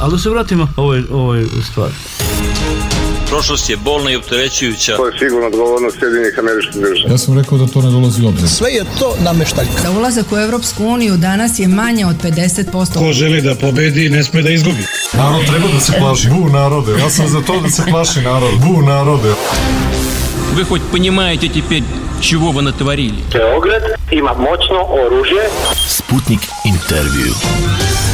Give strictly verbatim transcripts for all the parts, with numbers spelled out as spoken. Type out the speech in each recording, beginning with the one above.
Ali da se vratimo ovoj, ovoj stvari. Prošlost je bolna i opterećujuća. To je sigurno odgovornost Sjedinjenih Američkih Država. Ja sam rekao da to ne dolazi u obzir. Sve je to nameštaljka. Da ulazak u Evropsku uniju danas je manje od pedeset posto. Ko želi da pobedi, ne sme da izgubi. Narod treba da se plaši. Bu narode. Ja sam za to da se plaši narod. Bu narode. Вы хоть понимаете теперь, чего вы натворили? Beograd ima moćno oružje. Sputnik intervju.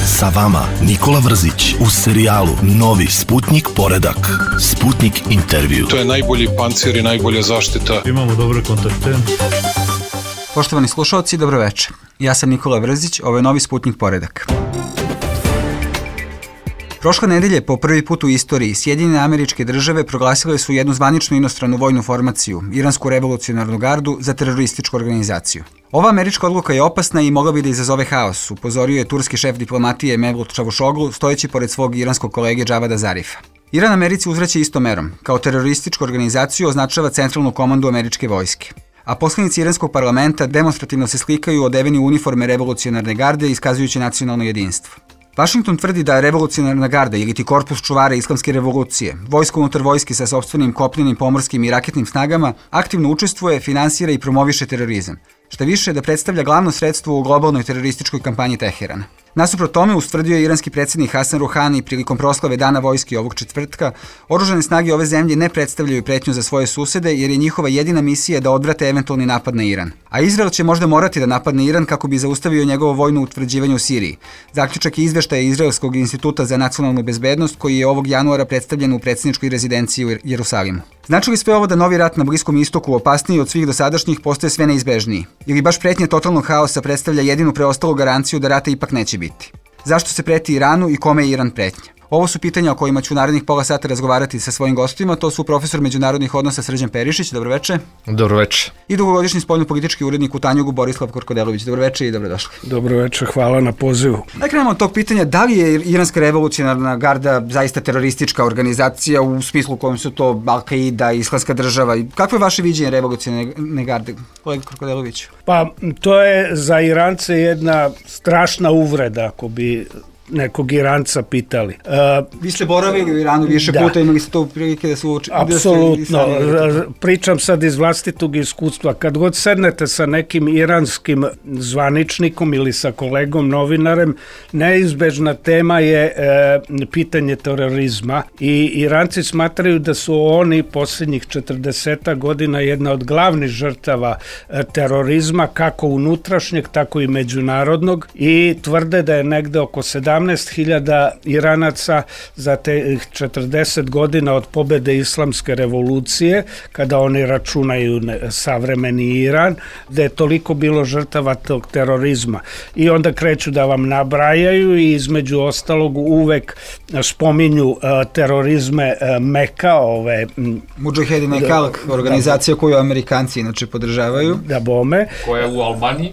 Sa vama Nikola Vrzić u serijalu Novi Sputnik poredak. Sputnik intervju. To je najbolji pancir i najbolja zaštita. Imamo dobre kontakte. Poštovani slušalci, dobroveče. Ja sam Nikola Vrzić, ovo je Novi Sputnik poredak. Prošle nedelje, po prvi put u istoriji, Sjedinjene Američke Države proglasile su jednu zvaničnu inostranu vojnu formaciju, Iransku revolucionarnu gardu, za terorističku organizaciju. Ova američka odluka je opasna i mogla bi da izazove haos, upozorio je turski šef diplomatije Mevlut Čavušoglu, stojeći pored svog iranskog kolege Džavada Zarifa. Iran Americi uzvraća istom merom. Kao terorističku organizaciju označava centralnu komandu američke vojske. A poslanici iranskog parlamenta demonstrativno se slikaju odeveni u uniforme revolucionarne garde, iskazujući nacionalno jedinstvo. Washington tvrdi da revolucionarna garda ili ti korpus čuvara islamske revolucije, vojsko unutar vojske sa sopstvenim kopnenim, pomorskim i raketnim snagama, aktivno učestvuje, finansira i promoviše terorizam. Šta više, da predstavlja glavno sredstvo u globalnoj terorističkoj kampanji Teherana. Nasuprot tome, ustvrdio je iranski predsjednik Hasan Ruhani prilikom proslave Dana vojske ovog četvrtka, oružane snage ove zemlje ne predstavljaju pretnju za svoje susede jer je njihova jedina misija da odvrate eventualni napad na Iran. A Izrael će možda morati da napadne Iran kako bi zaustavio njegovo vojno utvrđivanje u Siriji. Zaključak je izveštaja Izraelskog instituta za nacionalnu bezbednost koji je ovog januara predstavljen u predsjedničkoj rezidenciji u Jerusalimu. Znači li sve ovo da novi rat na Bliskom istoku, opasniji od svih dosadašnjih, postaje sve neizbežniji? Ili baš pretnja totalnog haosa predstavlja jedinu preostalu garanciju da rata ipak neće biti? Zašto se preti Iranu i kome je Iran pretnja? Ovo su pitanja o kojima ću u narednih pola sata razgovarati sa svojim gostima. To su profesor međunarodnih odnosa Srđan Perišić, dobroveče. Dobroveče. I dugogodišnji spoljnopolitički urednik u Tanjugu Borislav Korkodelović, dobroveče i dobrodošli. Dobroveče, hvala na pozivu. Da krenemo od tog pitanja, da li je Iranska revolucionarna garda zaista teroristička organizacija u smislu u kojem su to Al-Qaida, Islamska država? Kakvo je vaše viđenje revolucionarne garde, kolega Korkodelović? Pa, to je za Irance jedna strašna uvreda, ako bi nekog Iranca pitali. Uh, Vi ste boravili u Iranu više da. puta, imali ste to prilike da se uči? Apsolutno. Pričam sad iz vlastitog iskustva. Kad god sednete sa nekim iranskim zvaničnikom ili sa kolegom novinarem, neizbežna tema je e, pitanje terorizma i Iranci smatraju da su oni posljednjih četrdeset godina jedna od glavnih žrtava e, terorizma, kako unutrašnjeg, tako i međunarodnog, i tvrde da je negde oko sedamnaest hiljada Iranaca za te četrdeset godina od pobede islamske revolucije, kada oni računaju savremeni Iran, da je toliko bilo žrtava tog terorizma. I onda kreću da vam nabrajaju i između ostalog uvek spominju uh, terorizme uh, Meka, ove... Mudžahedin Kalk, organizacija koju Amerikanci inače podržavaju. Da bome. Koja je u Albaniji?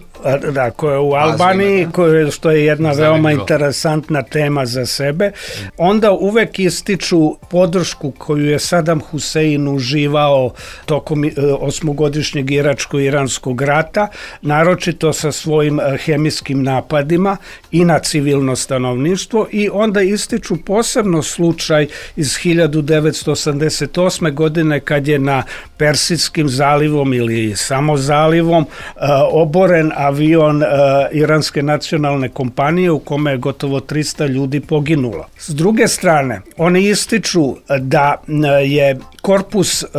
Da, koja je u Albaniji, koje, što je jedna veoma interesantna tema za sebe. Onda uvek ističu podršku koju je Sadam Husein uživao tokom osmogodišnjeg iračko-iranskog rata, naročito sa svojim hemijskim napadima i na civilno stanovništvo, i onda ističu posebno slučaj iz hiljadu devetsto osamdeset osme. godine kad je na Persijskim zalivom ili samo zalivom uh, oboren avion uh, Iranske nacionalne kompanije u kome je gotovo trista ljudi poginulo. S druge strane, oni ističu da uh, je korpus uh,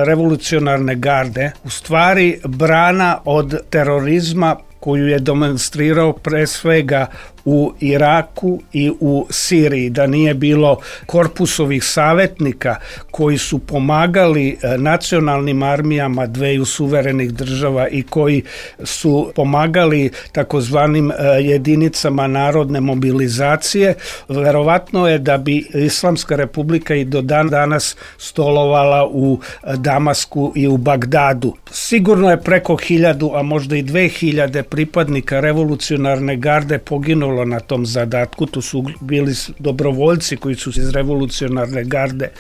revolucionarne garde u stvari brana od terorizma koju je demonstrirao pre svega u Iraku i u Siriji, da nije bilo korpusovih savjetnika koji su pomagali nacionalnim armijama dveju suverenih država i koji su pomagali takozvanim jedinicama narodne mobilizacije, verovatno je da bi Islamska republika i do dan danas stolovala u Damasku i u Bagdadu. Sigurno je preko hiljadu, a možda i dve hiljade pripadnika revolucionarne garde poginulo učestvovalo na tom zadatku, tu su bili dobrovoljci koji su iz revolucionarne garde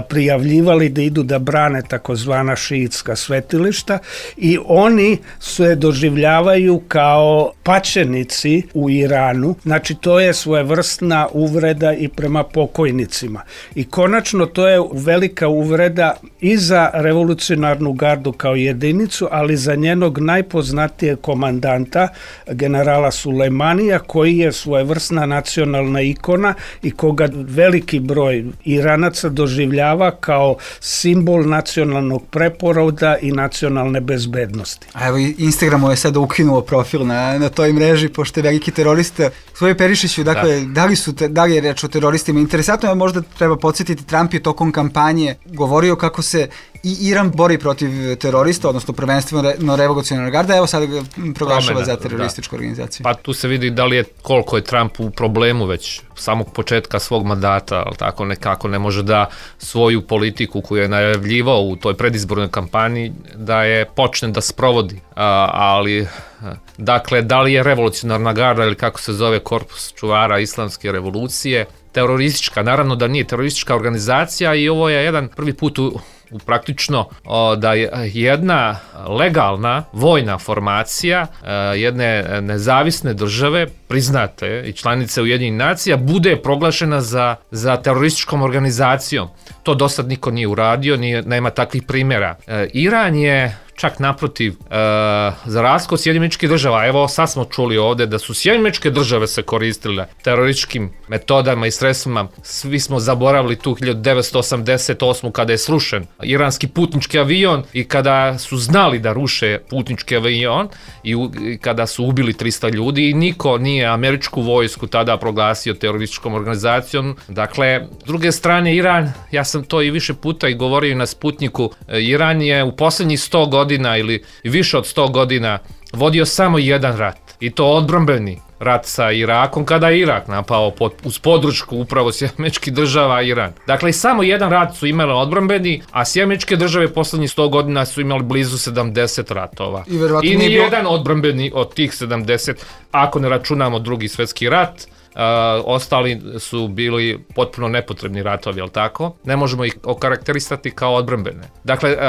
prijavljivali da idu da brane takozvana šiitska svetilišta i oni se doživljavaju kao pačenici u Iranu, znači to je svojevrsna uvreda i prema pokojnicima. I konačno to je velika uvreda i za revolucionarnu gardu kao jedinicu, ali za njenog najpoznatijeg komandanta, generala Sulejmanija, koji je svojevrsna nacionalna ikona i koga veliki broj Iranaca doživljava kao simbol nacionalnog preporoda i nacionalne bezbednosti. A evo, Instagramu je sada ukinuo profil na, na toj mreži, pošto je veliki terorista. Svoje Perišiću, dakle, da. Da, li su te, da li je reč o teroristima? Interesantno je, možda treba podsjetiti, Trump je tokom kampanje govorio kako se i Iran bori protiv terorista, odnosno prvenstveno revolucionarna garda, evo sada ga proglašava Promena, za terorističku da. organizaciju. Pa tu se vidi da li je, koliko je Trump u problemu već samog početka svog mandata, ali tako nekako ne može da svoju politiku koju je najavljivao u toj predizbornoj kampanji, da je počne da sprovodi. A, ali, dakle, da li je revolucionarna garda ili kako se zove korpus čuvara islamske revolucije, teroristička, naravno da nije teroristička organizacija i ovo je jedan prvi put u U praktično o, da je jedna legalna vojna formacija e, jedne nezavisne države, priznate i članice Ujedinjenih nacija, bude proglašena za, za terorističkom organizacijom. To do sad niko nije uradio, nije, nema takvih primjera. E, Iran je čak naprotiv, e, za razliku od Sjedinjenih Američkih Država, evo sad smo čuli ovde da su Sjedinjene Američke Države se koristile terorističkim metodama i sredstvima. Svi smo zaboravili tu hiljadu devetsto osamdeset osmu kada je srušen iranski putnički avion i kada su znali da ruše putnički avion i, u, i kada su ubili trista ljudi i niko nije američku vojsku tada proglasio terorističkom organizacijom. Dakle, s druge strane, Iran, ja sam to i više puta i govorio na Sputniku, Iran je u poslednjih sto godina ili više od sto godina vodio samo jedan rat i to odbrambeni rat sa Irakom kada je Irak napao pod, uz podršku upravo Sjedinjenih Američkih Država i Iran. Dakle, i samo jedan rat su imali odbrambeni, a Sjedinjene Američke Države poslednjih sto godina su imali blizu sedamdeset ratova. I, I ni bio... jedan odbrambeni od tih sedamdeset, ako ne računamo Drugi svjetski rat, Uh, ostali su bili potpuno nepotrebni ratovi, jel tako? Ne možemo ih okarakterisati kao odbrambene. Dakle, uh, uh,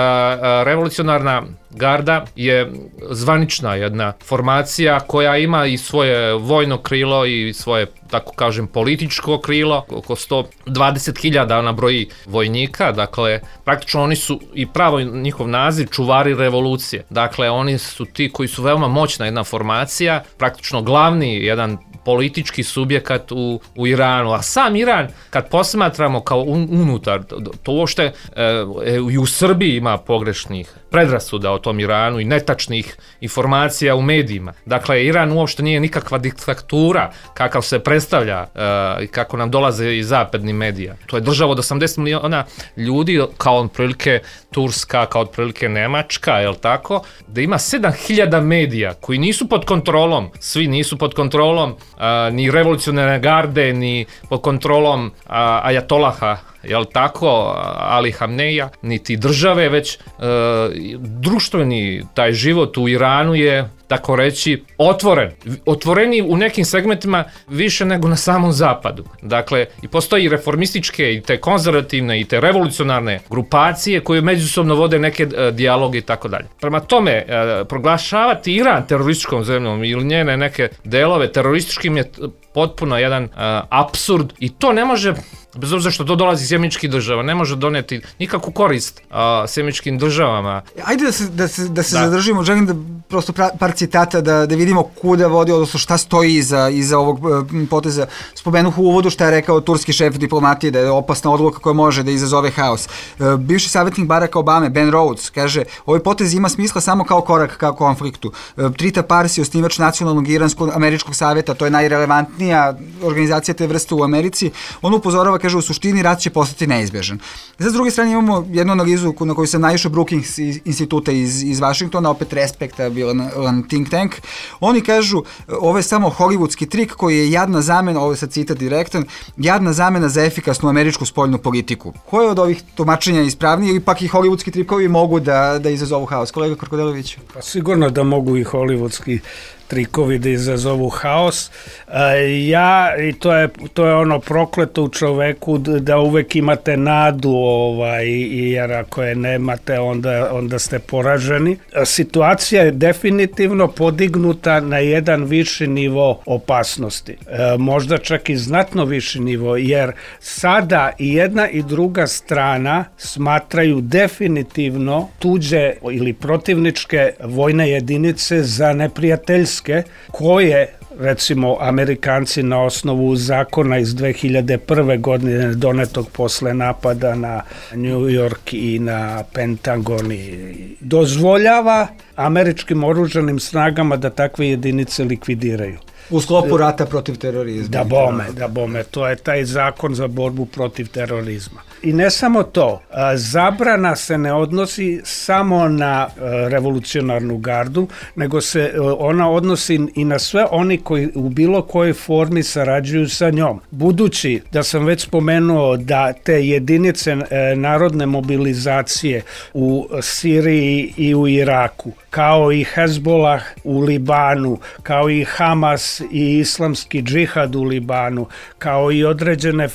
revolucionarna garda je zvanična jedna formacija koja ima i svoje vojno krilo i svoje, tako kažem, političko krilo. Oko sto dvadeset hiljada ona broji vojnika, dakle, praktično oni su i pravo njihov naziv čuvari revolucije. Dakle, oni su ti koji su veoma moćna jedna formacija, praktično glavni jedan politički subjekat u, u Iranu, a sam Iran, kad posmatramo kao un, unutar, to uopšte e, i u Srbiji ima pogrešnih predrasuda o tom Iranu i netačnih informacija u medijima. Dakle, Iran uopšte nije nikakva diktatura kakav se predstavlja i e, kako nam dolaze iz zapadnih medija. To je država od osamdeset miliona ljudi, kao otprilike Turska, kao otprilike Nemačka, jel tako? Da ima sedam hiljada medija koji nisu pod kontrolom, svi nisu pod kontrolom a, ni revolucionarne garde, ni pod kontrolom a, ajatolaha, jel tako, Ali Hamneja, niti države, već e, društveni taj život u Iranu je, tako reći, otvoren. Otvoreni u nekim segmentima više nego na samom zapadu. Dakle, i postoji reformističke i te konzervativne i te revolucionarne grupacije koje međusobno vode neke e, dijaloge i tako dalje. Prema tome, e, proglašavati Iran terorističkom zemljom ili njene neke delove terorističkim je potpuno jedan e, apsurd i to ne može, bez obzira što to dolazi iz Sjedinjenih Američkih Država, ne može doneti nikakvu korist uh, Sjedinjenim Američkim Državama. Ajde da se, da se, da se da. zadržimo, želim da prosto pra, par citata da, da vidimo kuda vodi, odnosno šta stoji iza, iza ovog poteza. Spomenuh u uvodu šta je rekao turski šef diplomatije, da je opasna odluka koja može da izazove haos. Uh, bivši savjetnik Baracka Obame, Ben Rhodes, kaže, ovaj potez ima smisla samo kao korak ka konfliktu. Uh, Trita Parsi, osnivač nacionalnog iransko-američkog savjeta, to je najrelevantnija organizacija te vrste u Americi, on upozorava, kaže, u suštini rat će postati neizbježan. Za s druge strane imamo jednu analizu na koju sam naišao Brookings instituta iz, iz Vašingtona, opet respektabilan think tank. Oni kažu, ovo je samo hollywoodski trik koji je jadna zamena, ovo je sad citat direktan, jadna zamena za efikasnu američku spoljnu politiku. Koje od ovih tumačenja ispravnije ili pak i hollywoodski trikovi mogu da, da izazovu haos? Kolega Korkodelović? Pa sigurno da mogu i hollywoodski trikovi da izazovu haos. Ja, i to je, to je ono prokleto u čoveku da uvek imate nadu, ovaj, jer ako je nemate, onda, onda ste poraženi. Situacija je definitivno podignuta na jedan viši nivo opasnosti. Možda čak i znatno viši nivo, jer sada i jedna i druga strana smatraju definitivno tuđe ili protivničke vojne jedinice za neprijateljske, koje recimo Amerikanci na osnovu zakona iz dve hiljade prve. godine donetog posle napada na New York i na Pentagon i dozvoljava američkim oružanim snagama da takve jedinice likvidiraju. U sklopu rata protiv terorizma. Da bome, da bome. To je taj zakon za borbu protiv terorizma. I ne samo to, zabrana se ne odnosi samo na revolucionarnu gardu, nego se ona odnosi i na sve oni koji u bilo kojoj formi sarađuju sa njom. Budući da sam već spomenuo da te jedinice narodne mobilizacije u Siriji i u Iraku, kao i Hezbollah u Libanu, kao i Hamas i islamski džihad u Libanu, kao i određene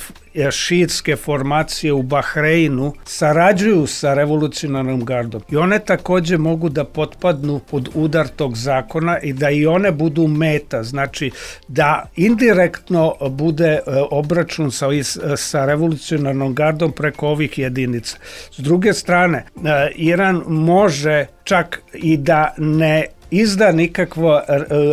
šiitske formacije u Bahreinu, sarađuju sa revolucionarnom gardom. I one takođe mogu da potpadnu pod udar tog zakona i da i one budu meta. Znači da indirektno bude obračun sa, sa revolucionarnom gardom preko ovih jedinica. S druge strane, Iran može čak i da ne izda nikakvo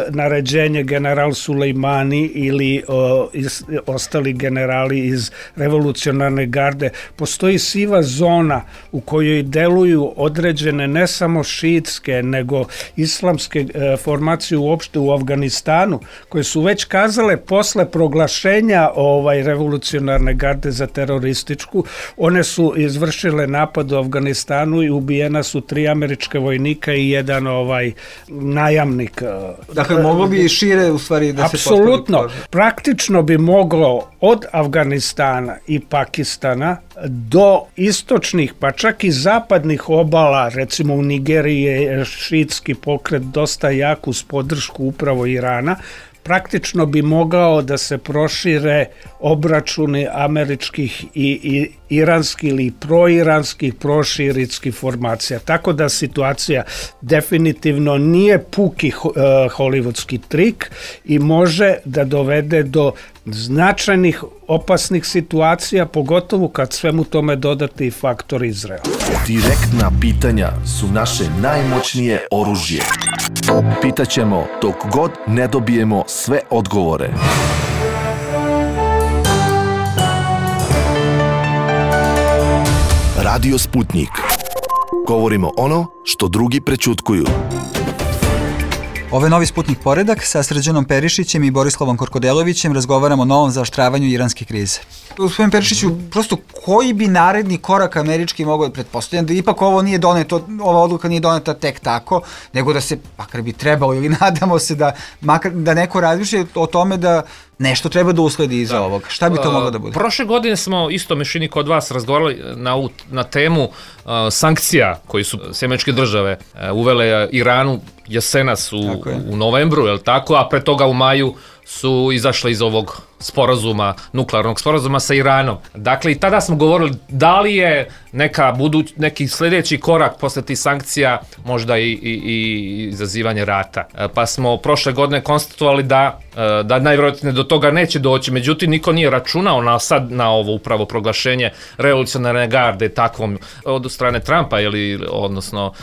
naređenje general Sulejmani ili o, iz, ostali generali iz revolucionarne garde. Postoji siva zona u kojoj deluju određene ne samo šiitske nego islamske e, formacije uopšte u Afganistanu, koje su već kazale posle proglašenja ovaj revolucionarne garde za terorističku. One su izvršile napad u Afganistanu i ubijena su tri američka vojnika i jedan ovaj najamnik. Dakle, moglo bi šire u stvari da se postavi. Apsolutno. Praktično bi moglo od Afganistana i Pakistana do istočnih, pa čak i zapadnih obala, recimo u Nigeriji je šiitski pokret dosta jak uz podršku upravo Irana, praktično bi mogao da se prošire obračuni američkih i, i iranskih ili proiranskih, proširitskih formacija. Tako da situacija definitivno nije puki uh, hollywoodski trik i može da dovede do značajnih opasnih situacija, pogotovo kad svemu tome dodate i faktor Izraela. Direktna pitanja su naše najmoćnije oružje. Pitaćemo dok god ne dobijemo sve odgovore. Radio Sputnik. Govorimo ono što drugi prećutkuju. Ovo je novi Sputnik Poredak. Sa Srđanom Perišićem i Borislavom Korkodelovićem razgovaramo o novom zaoštravanju iranske krize. Gospodin Perišiću, prosto koji bi naredni korak američki mogao, pretpostavljam da ipak ovo nije doneto, ova odluka nije doneta tek tako, nego da se, makar bi trebalo ili nadamo se da, makar, da neko razmišlja o tome da nešto treba da usledi iza ovog. Šta bi to moglo da bude? Prošle godine smo isto mešini kod vas razgovarali na, na temu uh, sankcija koji su sjemeničke države uh, uvele Iranu jesenas u, u novembru, je li tako, a pre toga u maju su izašle iz ovog sporazuma, nuklearnog sporazuma sa Iranom. Dakle, i tada smo govorili da li je neka buduć, neki sljedeći korak posle tih sankcija možda i, i, i izazivanje rata. Pa smo prošle godine konstatovali da, da najvjerojatnije do toga neće doći, međutim niko nije računao na, sad na ovo upravo proglašenje revolucionarne garde takvom od strane Trumpa ili odnosno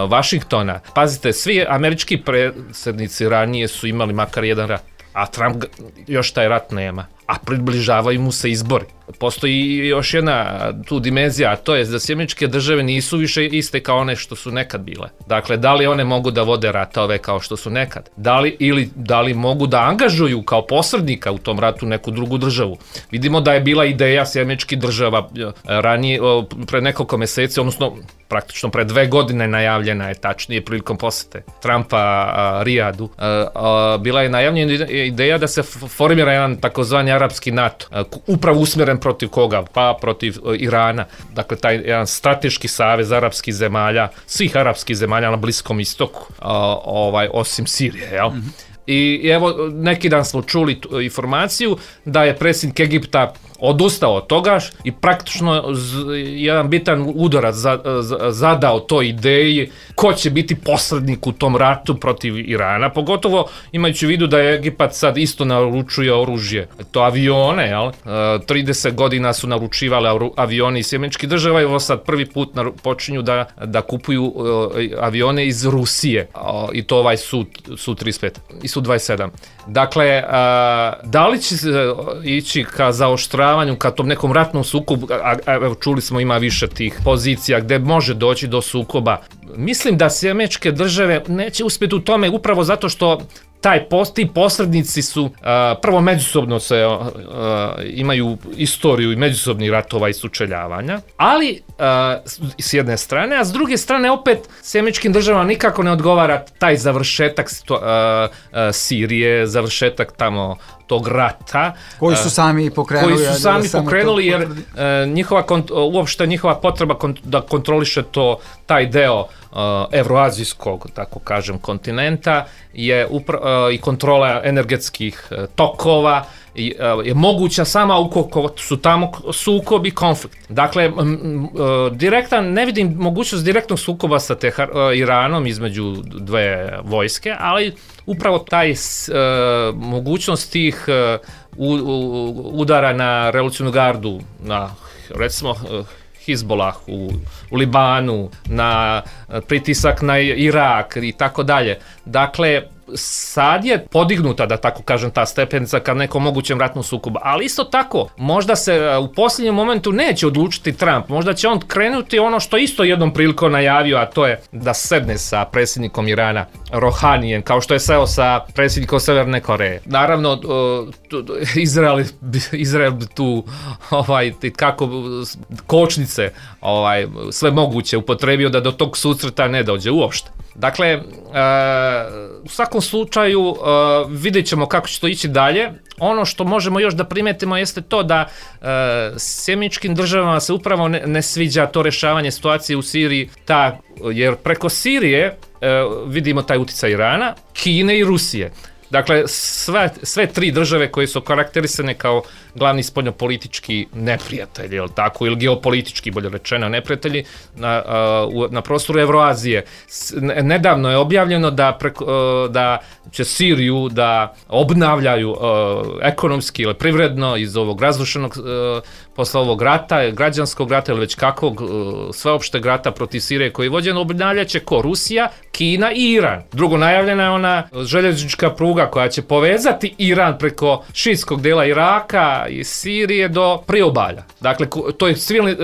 Vašingtona. Pazite, svi američki predsjednici ranije su imali makar jedan rat, a Trump još taj rat nema, a približavaju mu se izbori. Postoji još jedna tu dimenzija, a to je da sjemeničke države nisu više iste kao one što su nekad bile. Dakle, da li one mogu da vode ratove kao što su nekad? Da li, ili da li mogu da angažuju kao posrednika u tom ratu neku drugu državu? Vidimo da je bila ideja sjemeničkih država ranije, pre nekoliko meseci, odnosno praktično pre dve godine najavljena je, tačnije prilikom posete Trumpa a, Rijadu. A, a, bila je najavljena ideja da se formira jedan takozvani arapski NATO, a, upravo usmjeren protiv koga? Pa protiv a, Irana. Dakle, taj jedan strateški savez arapskih zemalja, svih arapskih zemalja na Bliskom istoku, a, ovaj, osim Sirije, jel? Mm-hmm. I evo, neki dan smo čuli tu informaciju da je predsjednik Egipta odustao od toga i praktično jedan bitan udarac zadao toj ideji ko će biti posrednik u tom ratu protiv Irana, pogotovo imajući u vidu da je Egipat sad isto naručuje oružje, to avione, jel? trideset godina su naručivali avioni iz Sjedinjenih Država i ovo sad prvi put počinju da, da kupuju avione iz Rusije i to ovaj Su trideset pet i Su dvadeset sedam. Dakle, da li će ići ka zaoštravanju, ka tom nekom ratnom sukobu, a, a evo čuli smo ima više tih pozicija gde može doći do sukoba. Mislim da Sjedinjene Države neće uspjeti u tome upravo zato što taj post, ti posrednici su uh, prvo međusobno se uh, imaju istoriju i međusobnih ratova i sučeljavanja, ali uh, s jedne strane, a s druge strane opet Sjedinjenim Državama nikako ne odgovara taj završetak uh, uh, Sirije, završetak tamo tog rata koji su sami pokrenuli, koji su sami pokrenuli jer uh, njihova uopšte njihova potreba kont- da kontroliše to taj deo uh, evroazijskog, tako kažem, kontinenta je upra- uh, i kontrola energetskih uh, tokova i, uh, je moguća sama ukoliko su tamo sukobi, konflikt. Dakle, m, m, uh, direktan, ne vidim mogućnost direktnog sukoba sa Tehar, uh, Iranom između dve vojske, ali upravo taj uh, mogućnost tih uh, u, u, udara na revolucionarnu gardu, na recimo uh, Hizbolah u, u Libanu, na pritisak na Irak i tako dalje. Dakle, sad je podignuta, da tako kažem, ta stepenica ka nekom mogućem ratnom sukobu, ali isto tako, možda se u posljednjem momentu neće odlučiti Trump, možda će on krenuti ono što isto jednom prilikom najavio, a to je da sedne sa predsjednikom Irana, Rohanijem, kao što je seo sa predsjednikom Severne Koreje. Naravno, Izrael, Izrael tu ovaj, kako kočnice ovaj, sve moguće upotrebio da do tog susreta ne dođe uopšte. Dakle, e, u svakom slučaju e, vidjet ćemo kako će to ići dalje. Ono što možemo još da primetimo jeste to da e, Sjedinjenim Državama se upravo ne, ne sviđa to rješavanje situacije u Siriji, ta, jer preko Sirije e, vidimo taj utjecaj Irana, Kine i Rusije. Dakle, sve, sve tri države koje su karakterisane kao glavni spoljnopolitički neprijatelji, jel tako, ili geopolitički, bolje rečeno, neprijatelji na, na prostoru Evroazije. Nedavno je objavljeno da, preko, da će Siriju da obnavljaju ekonomski ili privredno iz ovog razrušenog posle ovog rata, građanskog rata ili već kakvog sveopšteg rata protiv Sirije koji je vođen, obnavljaće ko? Rusija, Kina i Iran. Drugo, najavljena je ona željeznička pruga koja će povezati Iran preko šiitskog dela Iraka i Sirije do priobalja. Dakle, to je svilni,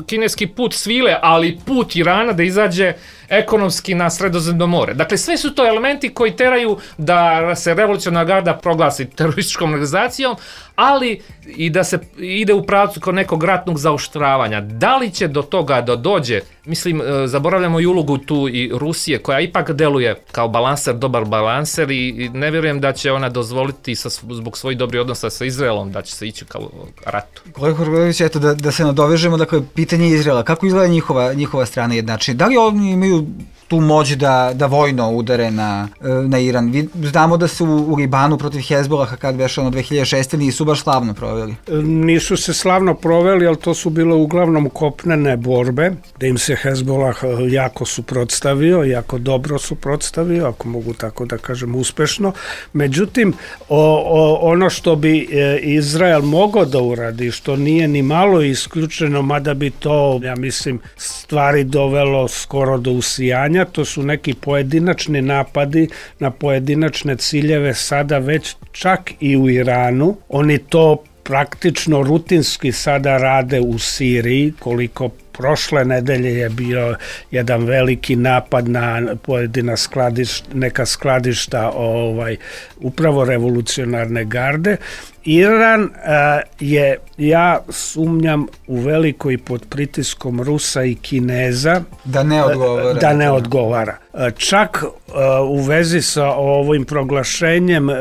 kineski put svile, ali put Irana da izađe ekonomski na Sredozemno more. Dakle, sve su to elementi koji teraju da se revolucionarna garda proglasi terorističkom organizacijom, ali i da se ide u pravcu kod nekog ratnog zaoštravanja. Da li će do toga da dođe? Mislim, zaboravljamo i ulogu tu i Rusije, koja ipak deluje kao balanser, dobar balanser i ne vjerujem da će ona dozvoliti sa, zbog svojih dobrih odnosa sa Izraelom da će se ići kao ratu. Kolega Horgović, eto da, da se nadovežemo, dakle, pitanje Izraela, kako izgleda njihova, njihova strana jednačenja? Da li oni imaju tu moć da, da vojno udare na, na Iran? Znamo da su u Libanu protiv Hezbolaha kad beše ono dve hiljade šeste nisu baš slavno proveli. Nisu se slavno proveli, ali to su bile uglavnom kopnene borbe, da im se Hezbolah jako suprotstavio, jako dobro suprotstavio, ako mogu tako da kažem uspešno. Međutim, o, o, ono što bi Izrael mogao da uradi, što nije ni malo isključeno, mada bi to, ja mislim, stvari dovelo skoro do usijanja, to su neki pojedinačni napadi na pojedinačne ciljeve sada već čak i u Iranu. Oni to praktično rutinski sada rade u Siriji, koliko prošle nedelje je bio jedan veliki napad na pojedina skladišta, neka skladišta ovaj, upravo revolucionarne garde. Iran uh, je, ja sumnjam, u velikoj pod pritiskom Rusa i Kineza da ne odgovara. Da ne odgovara. Čak uh, u vezi sa ovim proglašenjem uh,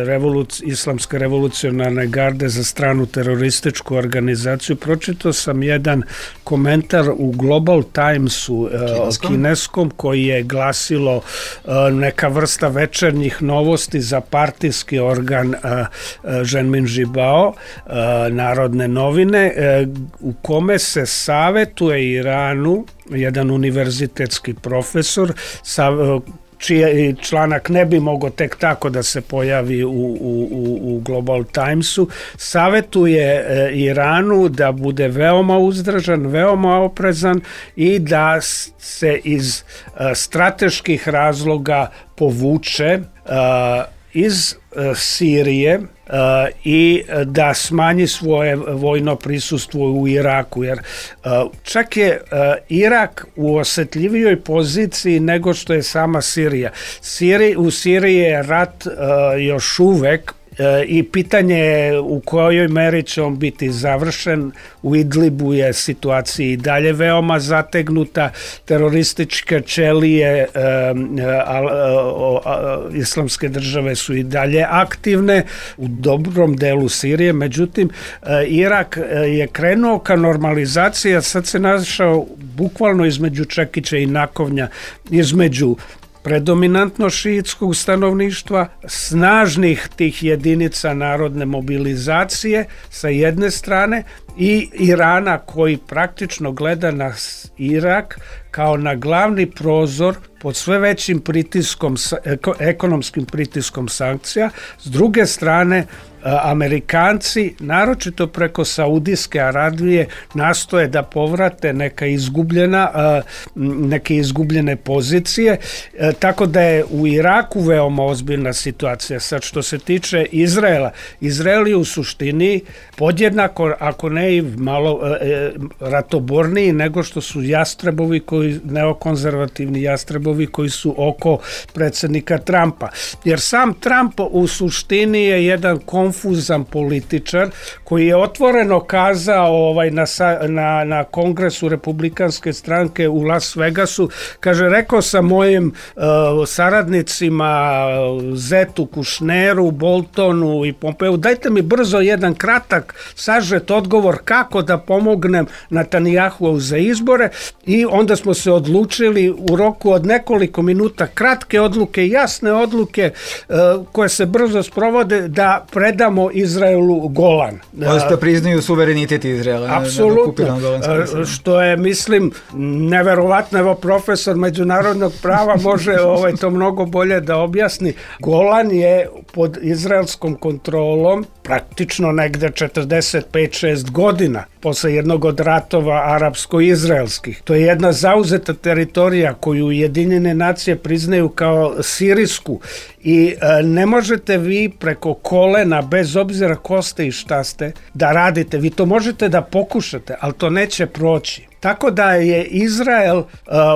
revoluc, Islamske revolucionarne garde za stranu terorističku organizaciju, pročitao sam jedan komentar komentar u Global Timesu kineskom, kineskom koji je glasilo neka vrsta večernjih novosti za partijski organ Ženmin Žibao, Narodne novine, u kome se savetuje Iranu jedan univerzitetski profesor sa čiji članak ne bi mogao tek tako da se pojavi u, u, u Global Timesu, savetuje Iranu da bude veoma uzdržan, veoma oprezan i da se iz strateških razloga povuče iz Sirije Uh, i da smanji svoje vojno prisustvo u Iraku, jer uh, čak je uh, Irak u osetljivijoj poziciji nego što je sama Sirija. Siri, u Siriji je rat uh, još uvek i pitanje je u kojoj meri će on biti završen. U Idlibu je situacija i dalje veoma zategnuta, terorističke ćelije e, a, a, a, islamske države su i dalje aktivne u dobrom delu Sirije, međutim e, Irak je krenuo ka normalizaciji, a sad se našao bukvalno između čekića i nakovnja, između predominantno šiitskog stanovništva, snažnih tih jedinica narodne mobilizacije sa jedne strane i Irana koji praktično gleda na Irak kao na glavni prozor pod sve većim pritiskom, ekonomskim pritiskom sankcija. S druge strane, Amerikanci, naročito preko Saudijske Arabije, nastoje da povrate neka izgubljena, neke izgubljene pozicije, tako da je u Iraku veoma ozbiljna situacija. Sad što se tiče Izraela, Izrael je u suštini podjednako, ako ne i malo e, ratoborniji nego što su jastrebovi, koji, neokonzervativni jastrebovi koji su oko predsjednika Trumpa. Jer sam Trump u suštini je jedan konfuzan političar koji je otvoreno kazao ovaj, na, na, na kongresu republikanske stranke u Las Vegasu, kaže, rekao sam mojim uh, saradnicima Zetu, Kušneru, Boltonu i Pompeu, dajte mi brzo jedan kratak sažet odgovor kako da pomognem Netanjahu za izbore, i onda smo se odlučili u roku od nekoliko minuta, kratke odluke, jasne odluke uh, koje se brzo sprovode, da predamo Izraelu Golan. Da priznaju suverenitet Izraela. Apsolutno. Što je, mislim, neverovatno. Evo, profesor međunarodnog prava može ovaj, to mnogo bolje da objasni. Golan je pod izraelskom kontrolom praktično negde četrdeset pet šest godina posle jednog od ratova arapsko-izraelskih. To je jedna zauzeta teritorija koju Ujedinjene nacije priznaju kao sirijsku i e, ne možete vi preko kolena, bez obzira ko ste i šta ste, da radite. Vi to možete da pokušate, ali to neće proći. Tako da je Izrael uh,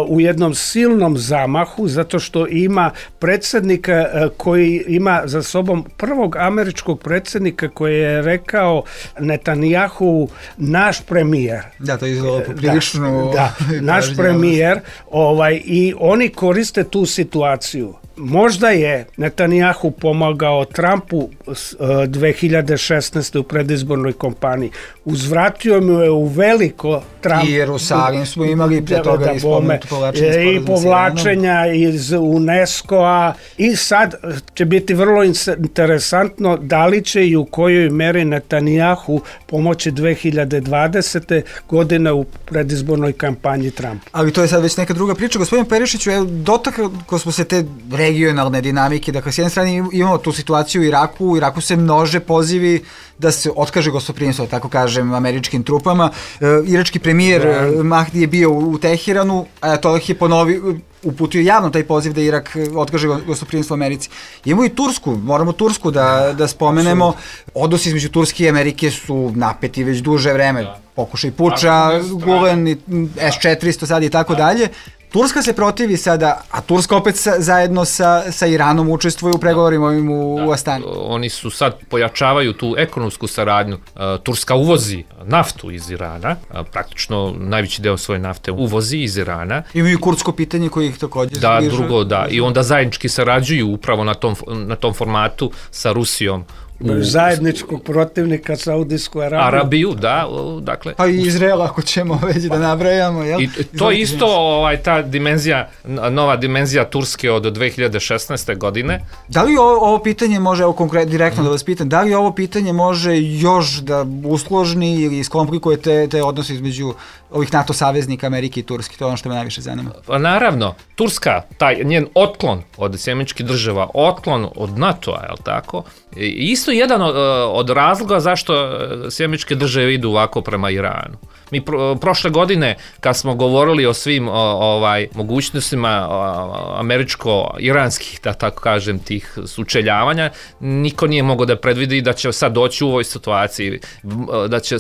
u jednom silnom zamahu, zato što ima predsjednika uh, koji ima za sobom prvog američkog predsjednika koji je rekao Netanjahu naš premijer. Da, to je izgleda poprilično. Da, da, naš premijer, ovaj, i oni koriste tu situaciju. Možda je Netanjahu pomagao Trumpu dve hiljade šesnaeste. u predizbornoj kampanji. Uzvratio mu je u veliko Trump. I Jerusalim smo imali pre toga da, i spomenuto povlačenje. I povlačenja iz UNESCO-a. I sad će biti vrlo interesantno da li će i u kojoj meri Netanjahu pomoći dve hiljade dvadesete. godine u predizbornoj kampanji Trumpa. Ali to je sad već neka druga priča. Gospodin Perišiću, dotakli smo se te regionalne dinamike, dakle s jedne strane imamo tu situaciju u Iraku, u Iraku se množe pozivi da se otkaže gostoprimstvo, tako kažem, američkim trupama. E, irački premijer da. Mahdi je bio u Teheranu, a to je ponovio, uputio javno taj poziv da Irak otkaže gostoprimstvo Americi. Imamo i Tursku, moramo Tursku da, da spomenemo. Odnosi između Turske i Amerike su napeti već duže vreme. Da. Pokušaj puča, Gulen, es četiristo sad i tako dalje. Turska se protivi sada, a Turska opet sa, zajedno sa, sa Iranom učestvuje u pregovorima ovim u, da, u Astani. Oni su sad pojačavaju tu ekonomsku saradnju. Turska uvozi naftu iz Irana, praktično najveći deo svoje nafte uvozi iz Irana. Imaju kurdsko pitanje koje ih također da, zbližuje. Drugo, da, i onda zajednički sarađuju upravo na tom, na tom formatu sa Rusijom u zajedničkog protivnika Saudijsku Arabiju. Arabiju, da, dakle. Pa i Izrael ako ćemo već da nabrajamo, jel? I to je isto ovaj, ta dimenzija, nova dimenzija Turske od dve hiljade šesnaeste. godine. Da li ovo, ovo pitanje može, evo konkretno direktno mm. da vas pitam, da li ovo pitanje može još da usložni ili iskomplikuje te, te odnose između ovih NATO saveznika Amerike i Turske? To je ono što me najviše zanima. Pa naravno, Turska, taj njen otklon od Sjedinjenih Država, otklon od NATO-a, je li tako? I isto jedan od, od razloga zašto Sjedinjene Države idu ovako prema Iranu. Mi pro, prošle godine, kad smo govorili o svim o, ovaj mogućnostima o, američko-iranskih, da tako kažem, tih sučeljavanja, niko nije mogao da predvidi da će sad doći u ovoj situaciji, da će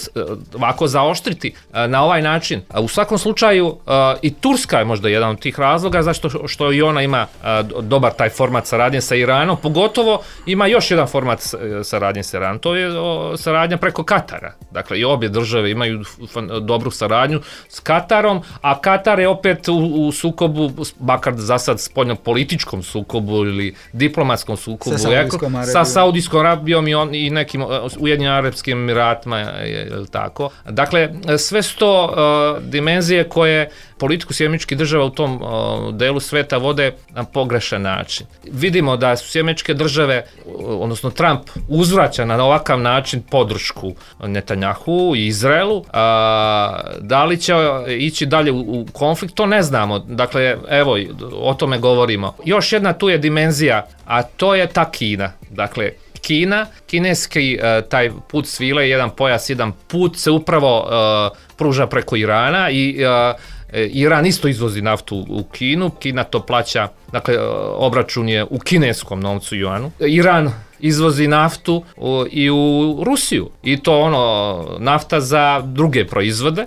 ovako zaoštriti na ovaj način. U svakom slučaju, i Turska je možda jedan od tih razloga, zašto što i ona ima dobar taj format saradnje sa Iranom, pogotovo ima još jedan format saradnje sa Iranom, to je saradnja preko Katara. Dakle, i obje države imaju dobru saradnju s Katarom, a Katar je opet u, u sukobu, makar za sad spoljno-političkom sukobu ili diplomatskom sukobu sa Saudijskom Arabijom, sa Saudijskom Arabijom i, on, i nekim Ujedinjenim Arapskim Emiratima, je, je tako. Dakle, sve su to uh, dimenzije koje politiku Sjedinjenih Država u tom uh, delu sveta vode na pogrešan način. Vidimo da su Sjedinjene Države, odnosno Trump, uzvraća na ovakav način podršku Netanjahu i Izraelu. A, da li će ići dalje u, u konflikt, to ne znamo. Dakle, evo, o tome govorimo. Još jedna tu je dimenzija, a to je ta Kina. Dakle, Kina, kineski uh, taj put svile, jedan pojas, jedan put se upravo uh, pruža preko Irana i uh, Iran isto izvozi naftu u Kinu, Kina to plaća, dakle obračun je u kineskom novcu juanu. Iran izvozi naftu u, i u Rusiju i to ono nafta za druge proizvode. E,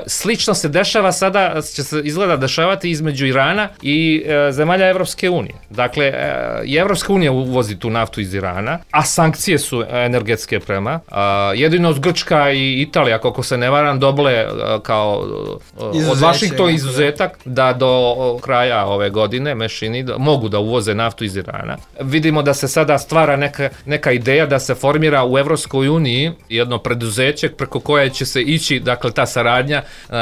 slično se dešava sada, će se izgleda dešavati između Irana i e, zemalja Evropske unije. Dakle, e, i Evropska unija uvozi tu naftu iz Irana, a sankcije su energetske prema. E, jedino od Grčka i Italija, kako se ne varam, dobile e, kao e, od Vašingtona izuzetak da do kraja ove godine mešini da, mogu da uvoze naftu iz Irana. Vidimo da se sada stvara neka neka ideja da se formira u Evropskoj uniji jedno preduzeće preko koje će se ići, dakle, ta saradnja uh,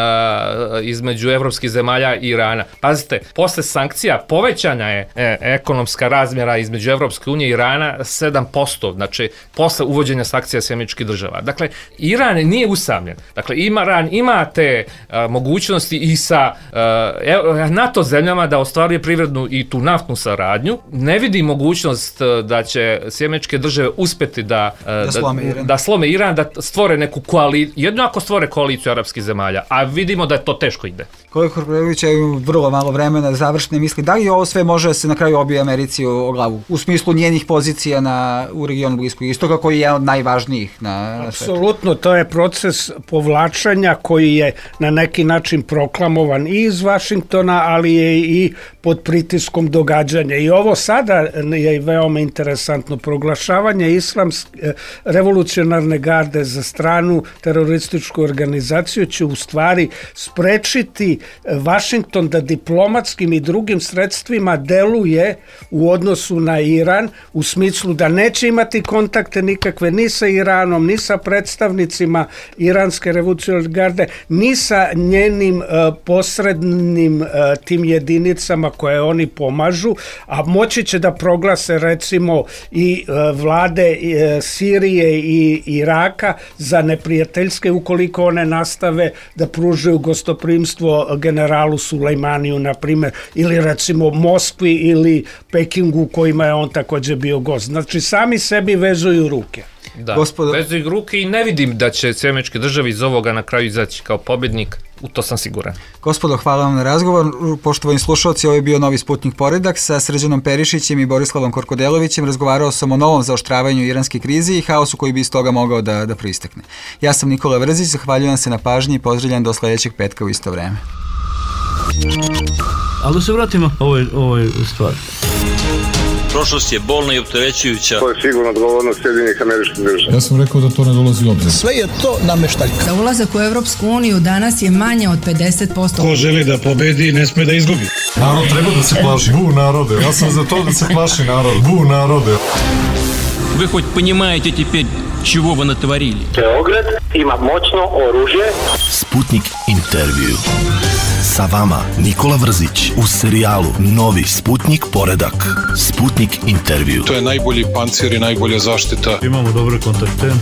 između evropskih zemalja i Irana. Pazite, posle sankcija povećana je e, ekonomska razmjera između Evropske unije i Irana sedam posto, znači posle uvođenja sankcija Sjedinjenih Država. Dakle, Iran nije usamljen. Dakle, Iran ima te uh, mogućnosti i sa uh, NATO zemljama da ostvaruje privrednu i tu naftnu saradnju. Ne vidi mogućnost uh, da će Sjedinjene Države uspeti da, da, da, slome Iran. da slome Iran, da stvore neku koaliciju, jedno ako stvore koaliciju arapskih zemalja, a vidimo da to teško ide. Kolega Korkorević, je vrlo malo vremena da završne misli. Da li ovo sve može se na kraju obije Americi o, o glavu? U smislu njenih pozicija na, u regionu Bliskog istoka, koji je jedan od najvažnijih na, na svetu? Apsolutno, to je proces povlačenja koji je na neki način proklamovan i iz Vašingtona, ali je i pod pritiskom događanja. I ovo sada je veoma interesantno proglašavanje islamske revolucionarne garde za stranu terorističku organizaciju će u stvari sprečiti Vašington da diplomatskim i drugim sredstvima deluje u odnosu na Iran, u smislu da neće imati kontakte nikakve ni sa Iranom, ni sa predstavnicima iranske revolucionarne garde, ni sa njenim uh, posrednim uh, tim jedinicama koje oni pomažu, a moći će da proglase recimo i uh, vlade uh, Sirije i Iraka za neprijateljske ukoliko one nastave da pružaju gostoprimstvo generalu Sulejmaniju, na primjer, ili recimo Moskvi ili Pekingu kojima je on također bio gost. Znači, sami sebi vezuju ruke. Da, Gospodo... vezuju ruke i ne vidim da će Sjedinjene Države iz ovoga na kraju izaći kao pobjednik, u to sam siguran. Gospodo, hvala vam na razgovor. Poštovani slušalci, ovo je bio Novi Sputnik Poredak sa Srđanom Perišićem i Borislavom Korkodelovićem. Razgovarao sam o novom zaoštravanju iranske krize i haosu koji bi iz toga mogao da, da proistekne. Ja sam Nikola Vrzić, zahvaljujem se na pažnji i pozdravljam do sljedećeg petka u isto vreme. Ali da se vratimo ovoj, ovoj stvari. Prošlost je bolna i opterećujuća. To je sigurno odgovornost Sjedinjenih Američkih Država. Ja sam rekao da to ne dolazi u obzir. Sve je to nameštaljka. Za ulazak u Evropsku uniju danas je manje od pedeset posto. Ko želi da pobedi, ne sme da izgubi. Narod treba da se plaši. Bu narode. Ja sam za to da se plaši narod. Bu narode. Вы хоть понимаете теперь, чего вы натворили? Beograd ima moćno oružje. Sputnik intervju. Sa vama Nikola Vrzić u serijalu Novi Sputnik poredak. Sputnik intervju. To je najbolji pancir i najbolja zaštita. Imamo dobre kontakte.